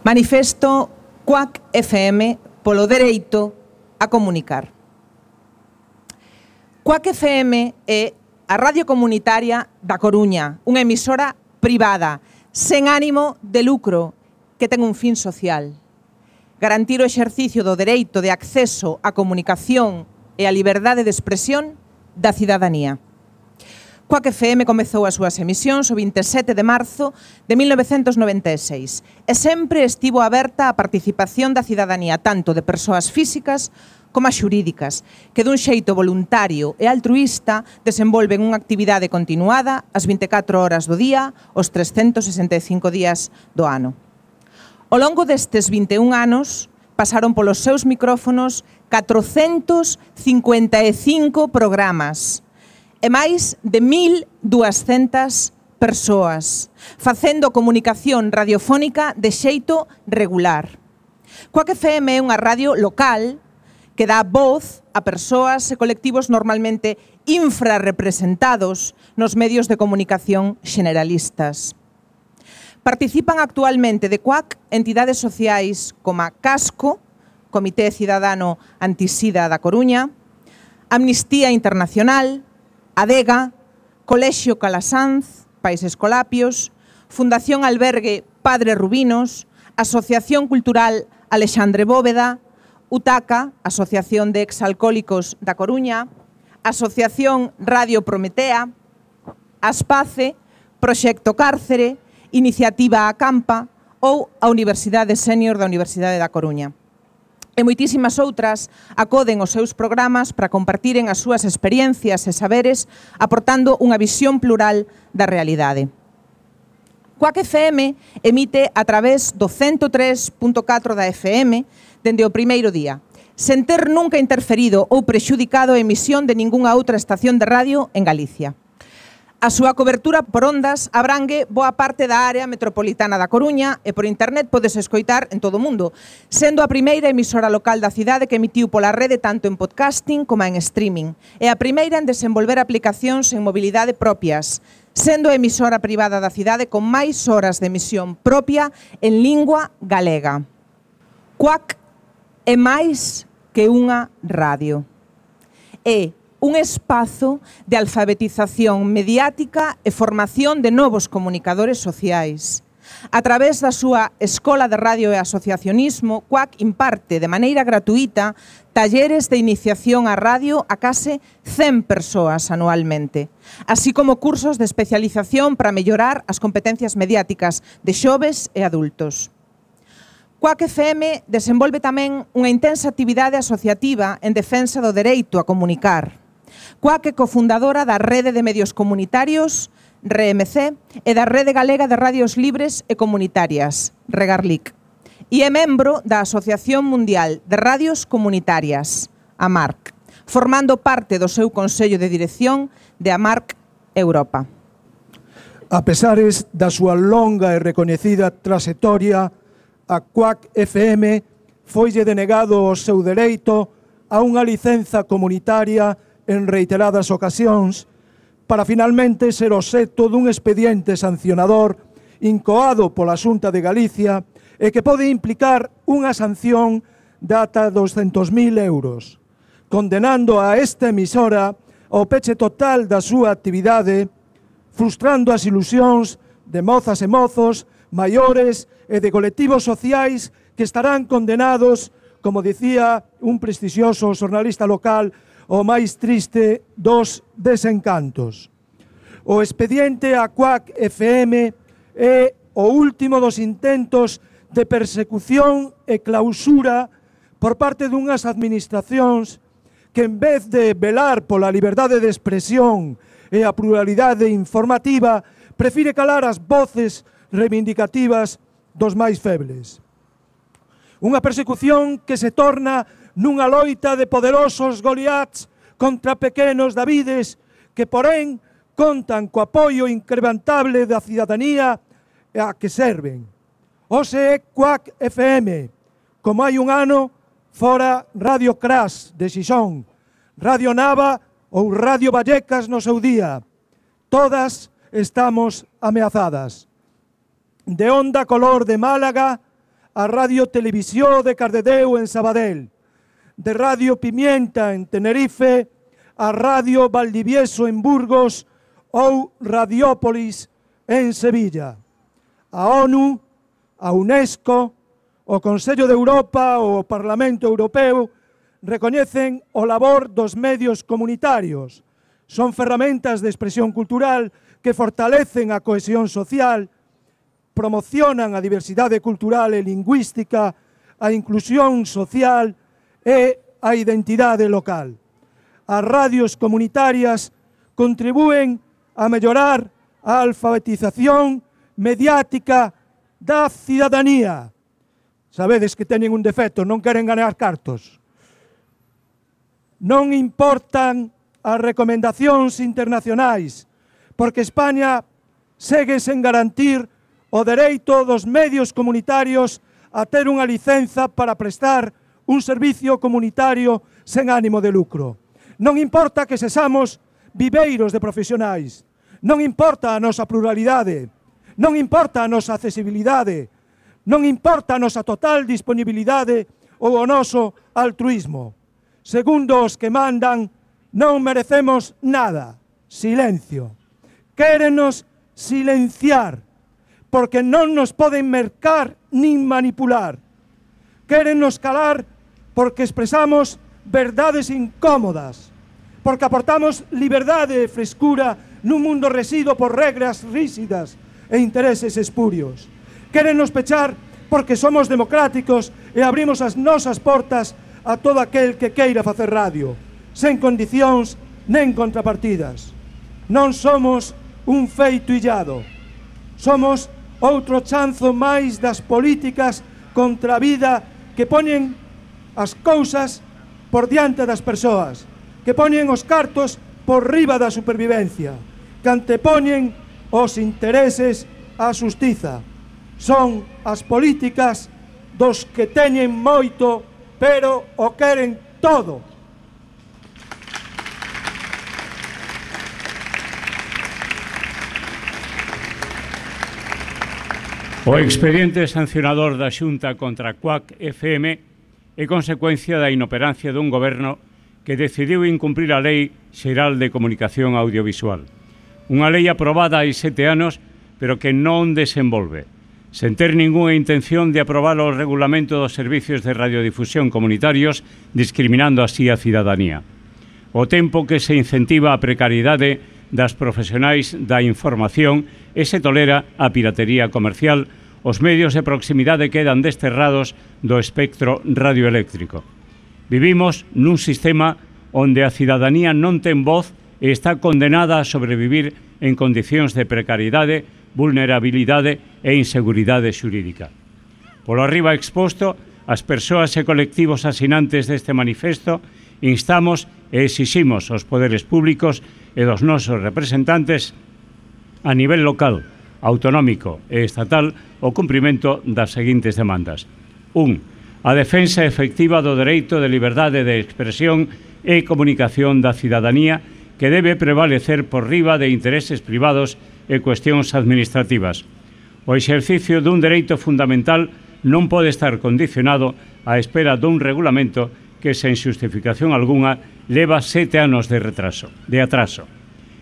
Manifesto Cuac FM polo dereito a comunicar. Cuac FM é a radio comunitaria da Coruña, unha emisora privada, sen ánimo de lucro, que ten un fin social. Garantir o exercicio do dereito de acceso á comunicación e a liberdade de expresión da cidadanía. Cuac FM comezou as súas emisións o 27 de marzo de 1996 e sempre estivo aberta á participación da cidadanía tanto de persoas físicas como as xurídicas, que dun xeito voluntario e altruísta desenvolven unha actividade continuada as 24 horas do día, os 365 días do ano. Ao longo destes 21 anos pasaron polos seus micrófonos 455 programas, e máis de 1.200 persoas, facendo comunicación radiofónica de xeito regular. Cuac FM é unha radio local que dá voz a persoas e colectivos normalmente infrarrepresentados nos medios de comunicación generalistas. Participan actualmente de Cuac entidades sociais como Casco, Comité Cidadano Antisida da Coruña, Amnistía Internacional, Adega, Colexio Calasanz, Pais Escolapios, Fundación Albergue Padre Rubinos, Asociación Cultural Alexandre Bóveda, UTACA, Asociación de Exalcohólicos da Coruña, Asociación Radio Prometea, Aspace, Proxecto Cárcere, Iniciativa Acampa ou a Universidade Sénior da Universidade da Coruña. E moitísimas outras acoden os seus programas para compartiren as súas experiencias e saberes, aportando unha visión plural da realidade. Cuac FM emite a través do 103.4 da FM dende o primeiro día, sen ter nunca interferido ou prexudicado a emisión de ningunha outra estación de radio en Galicia. A súa cobertura por ondas abrangue boa parte da área metropolitana da Coruña e por internet podes escoitar en todo o mundo, sendo a primeira emisora local da cidade que emitiu pola rede tanto en podcasting como en streaming, e a primeira en desenvolver aplicacións en mobilidade propias, sendo a emisora privada da cidade con máis horas de emisión propia en lingua galega. Cuac é máis que unha radio. É un espazo de alfabetización mediática e formación de novos comunicadores sociais. A través da súa Escola de Radio e Asociacionismo, Cuac imparte de maneira gratuita talleres de iniciación á radio a case 100 persoas anualmente, así como cursos de especialización para mellorar as competencias mediáticas de xoves e adultos. Cuac FM desenvolve tamén unha intensa actividade asociativa en defensa do dereito a comunicar. Cuac é cofundadora da Rede de Medios Comunitarios, RMC, e da Rede Galega de Radios Libres e Comunitarias, Regarlic, e é membro da Asociación Mundial de Radios Comunitarias, AMARC, formando parte do seu Consello de Dirección de AMARC Europa. A pesares da súa longa e recoñecida trayectoria, a Cuac FM foille denegado o seu dereito a unha licenza comunitaria en reiteradas ocasións para finalmente ser obxecto dun expediente sancionador incoado pola Xunta de Galicia e que pode implicar unha sanción de ata 200.000 euros, condenando a esta emisora ao peche total da súa actividade, frustrando as ilusións de mozas e mozos, maiores e de colectivos sociais que estarán condenados, como dicía un prestixioso xornalista local, o máis triste dos desencantos. O expediente a Cuac FM é o último dos intentos de persecución e clausura por parte dunhas administracións que, en vez de velar pola liberdade de expresión e a pluralidade informativa, prefire calar as voces reivindicativas dos máis febles. Unha persecución que se torna nunha loita de poderosos Goliats contra pequenos Davides que, porén, contan co apoio incrementable da cidadanía a que serven. Hoxe é Cuac FM, como hai un ano fora Radio Crash de Xixón, Radio Nava ou Radio Vallecas no seu día. Todas estamos ameazadas. De Onda Color de Málaga a Radio Televisió de Cardedeu en Sabadell, de Radio Pimienta en Tenerife a Radio Valdivieso en Burgos ou Radiópolis en Sevilla. A ONU, a UNESCO, o Consello de Europa ou o Parlamento Europeo recoñecen o labor dos medios comunitarios. Son ferramentas de expresión cultural que fortalecen a cohesión social, promocionan a diversidade cultural e lingüística, a inclusión social e a identidade local. As radios comunitarias contribúen a mellorar a alfabetización mediática da cidadanía. Sabedes que teñen un defecto, non queren ganar cartos. Non importan as recomendacións internacionais, porque España segue sen garantir o dereito dos medios comunitarios a ter unha licenza para prestar un servicio comunitario sen ánimo de lucro. Non importa que sexamos viveiros de profesionais, non importa a nosa pluralidade, non importa a nosa accesibilidade, non importa a nosa total disponibilidade ou o noso altruismo. Segundo os que mandan, non merecemos nada. Silencio. Quérenos silenciar, porque non nos poden mercar nin manipular. Quérennos calar porque expresamos verdades incómodas, porque aportamos liberdade e frescura nun mundo resido por regras rígidas e intereses espurios. Quérennos pechar porque somos democráticos e abrimos as nosas portas a todo aquel que queira facer radio, sen condicións nen contrapartidas. Non somos un feito illado, somos outro chanzo máis das políticas contra a vida que poñen as cousas por diante das persoas, que poñen os cartos por riba da supervivencia, que antepoñen os intereses á xustiza. Son as políticas dos que teñen moito, pero o queren todo. O expediente sancionador da Xunta contra Cuac FM é consecuencia da inoperancia dun goberno que decidiu incumprir a Lei Xeral de Comunicación Audiovisual. Unha lei aprobada hai 7 anos, pero que non desenvolve, sen ter ningunha intención de aprobar o regulamento dos servicios de radiodifusión comunitarios, discriminando así a cidadanía. O tempo que se incentiva a precariedade das profesionais da información e se tolera a piratería comercial, os medios de proximidade quedan desterrados do espectro radioeléctrico. Vivimos nun sistema onde a cidadanía non ten voz e está condenada a sobrevivir en condicións de precariedade, vulnerabilidade e inseguridade xurídica. Polo arriba exposto, as persoas e colectivos asinantes deste manifesto instamos e exiximos aos poderes públicos e dos nosos representantes a nivel local, autonómico e estatal o cumprimento das seguintes demandas. 1. A defensa efectiva do dereito de liberdade de expresión e comunicación da cidadanía que debe prevalecer por riba de intereses privados e cuestións administrativas. O exercicio dun dereito fundamental non pode estar condicionado á espera dun regulamento que, sen xustificación algunha, leva 7 anos de atraso.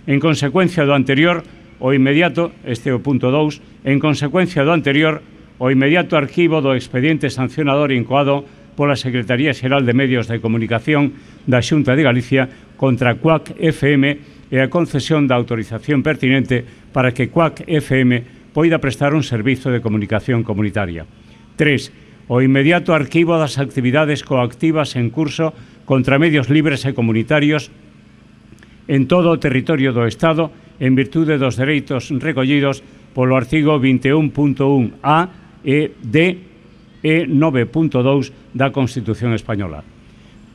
En consecuencia do anterior, o inmediato, este é o punto 2, en consecuencia do anterior, o inmediato arquivo do expediente sancionador incoado pola Secretaría Xeral de Medios de Comunicación da Xunta de Galicia contra Cuac FM e a concesión da autorización pertinente para que Cuac FM poida prestar un servizo de comunicación comunitaria. 3. O inmediato arquivo das actividades coactivas en curso contra medios libres e comunitarios en todo o territorio do Estado en virtude dos dereitos recollidos polo artigo 21.1a e d e 9.2 da Constitución Española.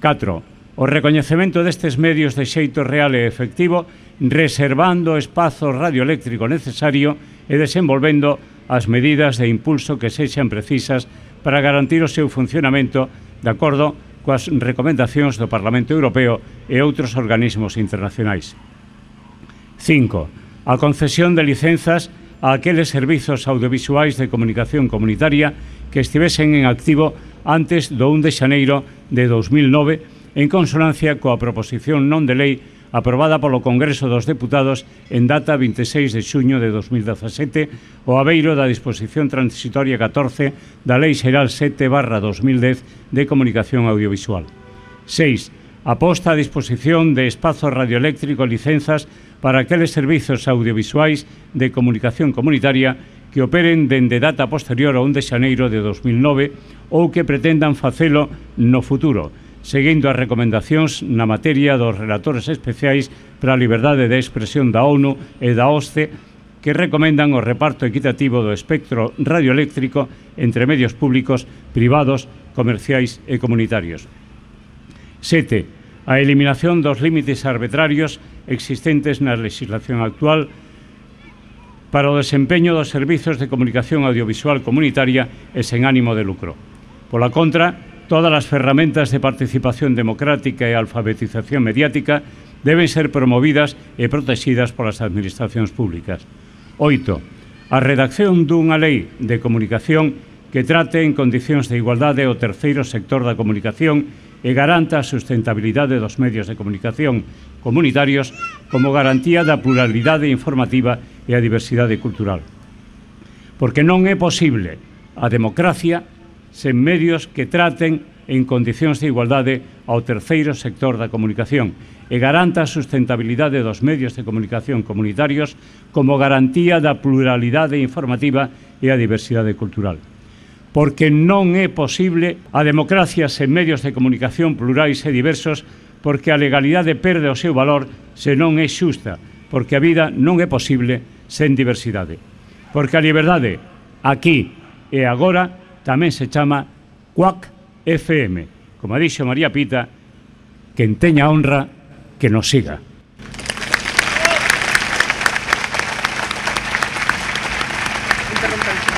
4. O recoñecemento destes medios de xeito real e efectivo, reservando o espazo radioeléctrico necesario e desenvolvendo as medidas de impulso que sexan precisas para garantir o seu funcionamento de acordo coas recomendacións do Parlamento Europeo e outros organismos internacionais. 5. A concesión de licenzas a aqueles servizos audiovisuais de comunicación comunitaria que estivesen en activo antes do 1 de xaneiro de 2009, en consonancia coa proposición non de lei aprobada polo Congreso dos Deputados en data 26 de xuño de 2017, o abeiro da disposición transitoria 14 da Lei Xeral 7/2010 de Comunicación Audiovisual. 6. A posta a disposición de espazo radioeléctrico e licenzas para aqueles servizos audiovisuais de comunicación comunitaria que operen dende data posterior ao 1 de xaneiro de 2009 ou que pretendan facelo no futuro, seguindo as recomendacións na materia dos relatores especiais para a liberdade de expresión da ONU e da OSCE, que recomendan o reparto equitativo do espectro radioeléctrico entre medios públicos, privados, comerciais e comunitarios. 7. A eliminación dos límites arbitrarios existentes na legislación actual para o desempeño dos servizos de comunicación audiovisual comunitaria e sen ánimo de lucro. Pola contra, todas as ferramentas de participación democrática e alfabetización mediática deben ser promovidas e protegidas polas administracións públicas. 8. A redacción dunha lei de comunicación que trate en condicións de igualdade o terceiro sector da comunicación e garanta a sustentabilidade dos medios de comunicación comunitarios como garantía da pluralidade informativa e a diversidade cultural. Porque non é posible a democracia sen medios que traten en condicións de igualdade ao terceiro sector da comunicación e garanta a sustentabilidade dos medios de comunicación comunitarios como garantía da pluralidade informativa e a diversidade cultural. Porque non é posible a democracia sen medios de comunicación plurais e diversos, porque a legalidade perde o seu valor se non é xusta, porque a vida non é posible sen diversidade. Porque a liberdade, aquí e agora, tamén se chama Quack FM. Como dixo María Pita, quen teña honra, que nos siga. Interrompe.